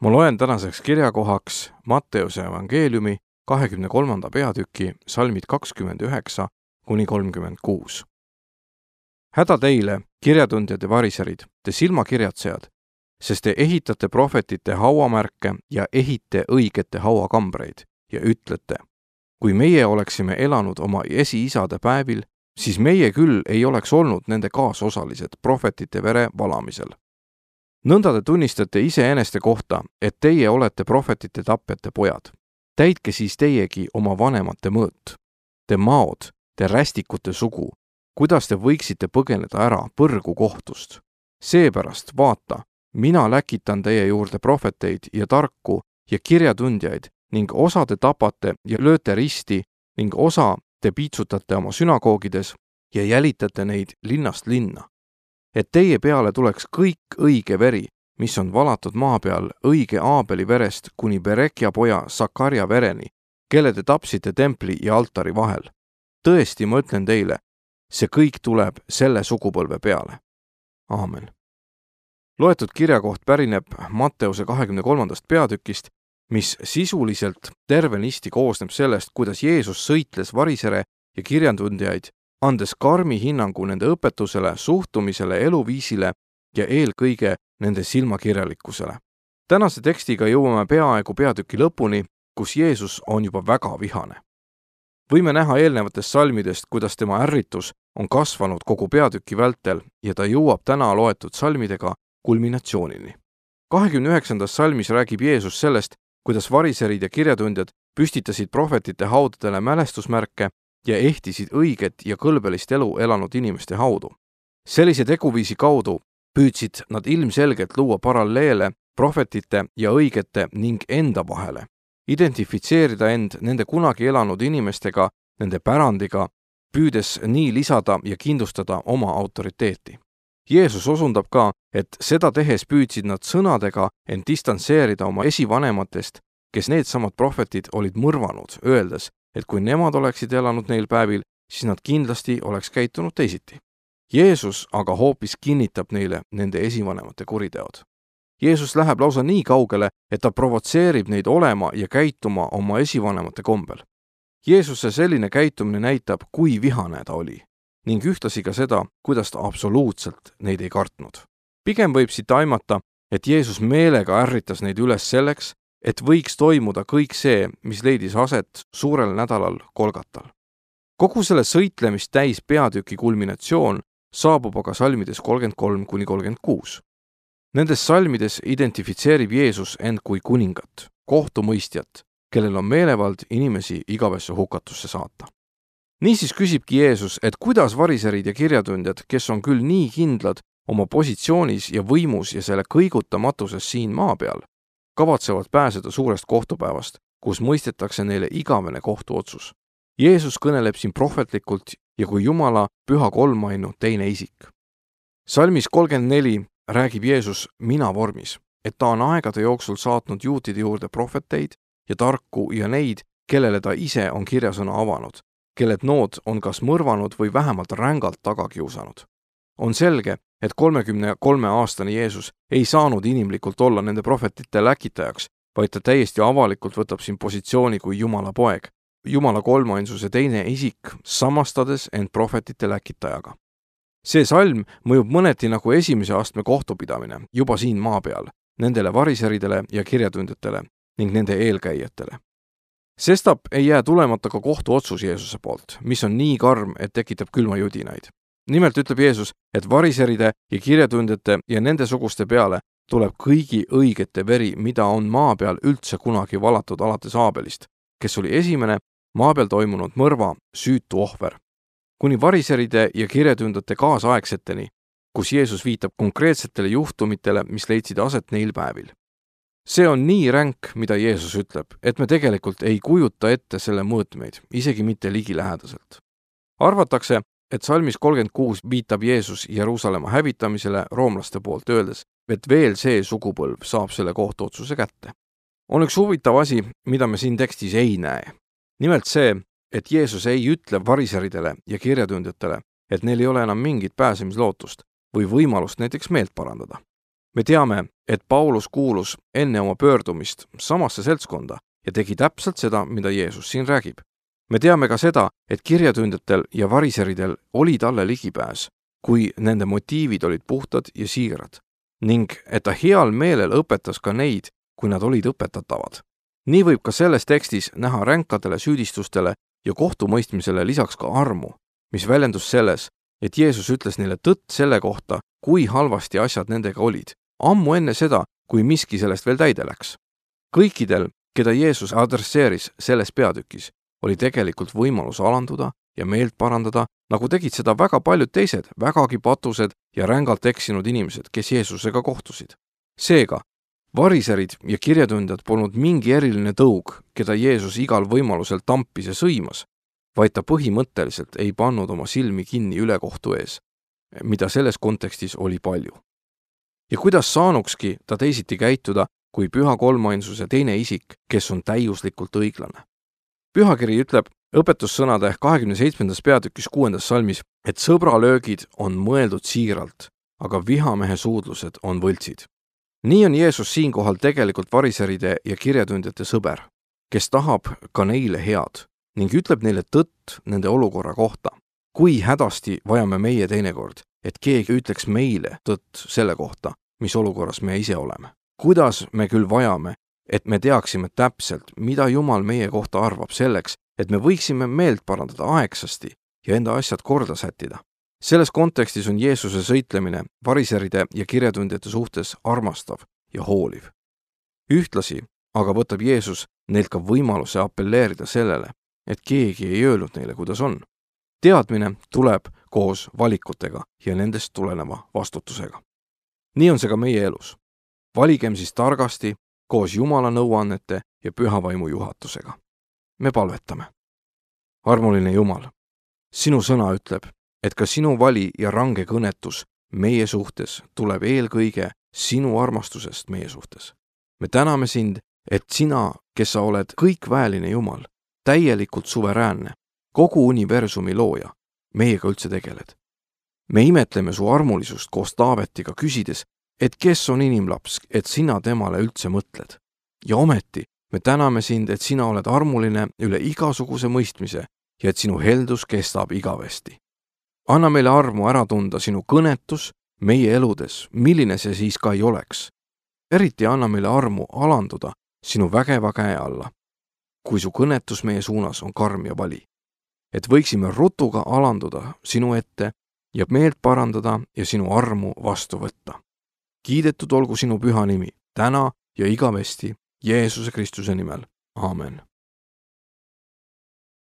Ma loen tänaseks kirjakohaks Matteuse evangeeliumi 23. peatüki salmid 29 kuni 36. Häda teile, kirjatundjad ja variserid, te silmakirjatsejad, sest te ehitate prohvetite hauamärke ja ehite õigete hauakambreid ja ütlete, kui meie oleksime elanud oma esiisade päevil, siis meie küll ei oleks olnud nende kaasosalised prohvetite vere valamisel. Nõnda te tunnistate iseeneste kohta, et teie olete prohvetite tapjate pojad. Täitke siis teiegi oma vanemate mõõt. Te maod, te rästikute sugu, kuidas te võiksite põgeneda ära põrgu kohtust. Seepärast, vaata, mina läkitan teie juurde prohveteid ja tarku ja kirjatundjaid ning osa te tapate ja lööte risti ning osa te piitsutate oma sünagoogides ja jälitate neid linnast linna. Et teie peale tuleks kõik õige veri, mis on valatud maa peal õige Aabeli verest kuni Berekja poja Sakarja vereni, kelle te tapsite templi ja altari vahel. Tõesti, ma ütlen teile, see kõik tuleb selle sugupõlve peale. Aamen. Loetud kirjakoht pärineb Matteuse 23. peatükist, mis sisuliselt tervenisti koosneb sellest, kuidas Jeesus sõitles varisere ja kirjatundjaid, andes karmi hinnangu nende õpetusele, suhtumisele, eluviisile ja eelkõige nende silmakirjalikkusele. Tänase tekstiga jõuame peaaegu peatüki lõpuni, kus Jeesus on juba väga vihane. Võime näha eelnevatest salmidest, kuidas tema ärritus on kasvanud kogu peatüki vältel ja ta jõuab täna loetud salmidega kulminatsioonini. 29. salmis räägib Jeesus sellest, kuidas variserid ja kirjatundjad püstitasid prohvetite haudadele mälestusmärke ja ehtisid õiget ja kõlbelist elu elanud inimeste haudu. Sellise teguviisi kaudu püüdsid nad ilmselgelt luua paralleele prohvetite ja õigete ning enda vahele, identifitseerida end nende kunagi elanud inimestega, nende pärandiga, püüdes nii lisada ja kindlustada oma autoriteeti. Jeesus osundab ka, et seda tehes püüdsid nad sõnadega end distantseerida oma esivanematest, kes needsamad prohvetid olid mõrvanud, öeldes, et kui nemad oleksid elanud neil päevil, siis nad kindlasti oleks käitunud teisiti. Jeesus aga hoopis kinnitab neile nende esivanemate kuriteod. Jeesus läheb lausa nii kaugele, et ta provotseerib neid olema ja käituma oma esivanemate kombel. Jeesuse selline käitumine näitab, kui vihane ta oli, ning ühtlasi ka seda, kuidas ta absoluutselt neid ei kartnud. Pigem võib siit aimata, et Jeesus meelega ärritas neid üles selleks, et võiks toimuda kõik see, mis leidis aset suurel nädalal Golgatal. Kogu selle sõitlemist täis peatüki kulminatsioon saabub aga salmides 33 kuni 36. Nendes salmides identifitseerib Jeesus end kui kuningat, kohtumõistjat, kellel on meelevald inimesi igavesse hukatusse saata. Niisiis küsibki Jeesus, et kuidas variserid ja kirjatundjad, kes on küll nii kindlad oma positsioonis ja võimus ja selle kõigutamatuses siin maa peal, kavatsevad pääseda suurest kohtupäevast, kus mõistetakse neile igavene kohtuotsus. Jeesus kõneleb siin prohvetlikult ja kui Jumala püha kolmainu teine isik. Salmis 34 räägib Jeesus mina vormis, et ta on aegade jooksul saatnud juutide juurde prohveteid ja tarku ja neid, kellele ta ise on kirjasõna avanud, kelled nood on kas mõrvanud või vähemalt rängalt taga kiusanud. On selge, et 33-aastane Jeesus ei saanud inimlikult olla nende prohvetite läkitajaks, vaid ta täiesti avalikult võtab siin positsiooni kui Jumala poeg, Jumala kolmainsuse teine isik, samastades end prohvetite läkitajaga. See salm mõjub mõneti nagu esimese astme kohtupidamine juba siin maa peal, nendele variseridele ja kirjatundjatele ning nende eelkäijatele. Sestap ei jää tulemata ka kohtuotsus Jeesuse poolt, mis on nii karm, et tekitab külmajudinaid. Nimelt ütleb Jeesus, et variseride ja kirjatundjate ja nende suguste peale tuleb kõigi õigete veri, mida on maa peal üldse kunagi valatud alates Aabelist, kes oli esimene maa peal toimunud mõrva süütu ohver, kuni variseride ja kirjatundjate kaasaegseteni, kus Jeesus viitab konkreetsetele juhtumitele, mis leidsid aset neil päevil. See on nii ränk, mida Jeesus ütleb, et me tegelikult ei kujuta ette selle mõõtmeid, isegi mitte ligilähedaselt. Arvatakse, et salmis 36 viitab Jeesus Jeruusalemma hävitamisele roomlaste poolt öeldes, et veel see sugupõlv saab selle kohtuotsuse kätte. On üks huvitav asi, mida me siin tekstis ei näe. Nimelt see, et Jeesus ei ütle variseridele ja kirjatundjatele, et neil ei ole enam mingit pääsemislootust või võimalust näiteks meelt parandada. me teame, et Paulus kuulus enne oma pöördumist samasse seltskonda ja tegi täpselt seda, mida Jeesus siin räägib. Me teame ka seda, et kirjatundjatel ja variseridel oli talle ligipääs, kui nende motiivid olid puhtad ja siirad, ning et ta heal meelel õpetas ka neid, kui nad olid õpetatavad. Nii võib ka selles tekstis näha ränkadele süüdistustele ja kohtumõistmisele lisaks ka armu, mis väljendus selles, et Jeesus ütles neile tõtt selle kohta, kui halvasti asjad nendega olid, ammu enne seda, kui miski sellest veel täide läks. Kõikidel, keda Jeesus adresseeris selles peatükis, oli tegelikult võimalus alanduda ja meelt parandada, nagu tegid seda väga paljud teised, vägagi patused ja rängalt eksinud inimesed, kes Jeesusega kohtusid. Seega, variserid ja kirjatundjad polnud mingi eriline tõug, keda Jeesus igal võimalusel tampis ja sõimas, vaid ta põhimõtteliselt ei pannud oma silmi kinni ülekohtu ees, mida selles kontekstis oli palju. Ja kuidas saanukski ta teisiti käituda, kui püha kolmainsuse teine isik, kes on täiuslikult õiglane. Pühakiri ütleb õpetussõnade 27. peatükis 6. salmis, et sõbralöögid on mõeldud siiralt, aga vihamehe suudlused on võltsid. Nii on Jeesus siinkohal tegelikult variseride ja kirjatundjate sõber, kes tahab ka neile head ning ütleb neile tõtt nende olukorra kohta. Kui hädasti vajame meie teinekord, et keegi ütleks meile tõtt selle kohta, mis olukorras me ise oleme. Kuidas me küll vajame, et me teaksime täpselt, mida Jumal meie kohta arvab selleks, et me võiksime meelt parandada aegsasti ja enda asjad korda sättida. Selles kontekstis on Jeesuse sõitlemine variseride ja kirjatundjate suhtes armastav ja hooliv. Ühtlasi aga võtab Jeesus neilt ka võimaluse appelleerida sellele, et keegi ei öelnud neile, kuidas on. Teadmine tuleb koos valikutega ja nendest tuleneva vastutusega. Nii on see ka meie elus. Valigem siis targasti koos Jumala nõuannete ja püha vaimu juhatusega. Me palvetame. Armuline Jumal, sinu sõna ütleb, et ka sinu vali ja range kõnetus meie suhtes tuleb eelkõige sinu armastusest meie suhtes. Me täname sind, et sina, kes sa oled kõikväeline Jumal, täielikult suveräänne, kogu universumi looja, meiega üldse tegeled. Me imetleme su armulisust koos Taavetiga küsides, et kes on inimlaps, et sina temale üldse mõtled. Ja ometi me täname sind, et sina oled armuline üle igasuguse mõistmise ja et sinu heldus kestab igavesti. Anna meile armu ära tunda sinu kõnetus meie eludes, milline see siis ka ei oleks. Eriti anna meile armu alanduda sinu vägeva käe alla, kui su kõnetus meie suunas on karm ja vali. Et võiksime rutuga alanduda sinu ette ja meelt parandada ja sinu armu vastu võtta. Kiidetud olgu sinu püha nimi, täna ja igavesti, Jeesuse Kristuse nimel. Aamen.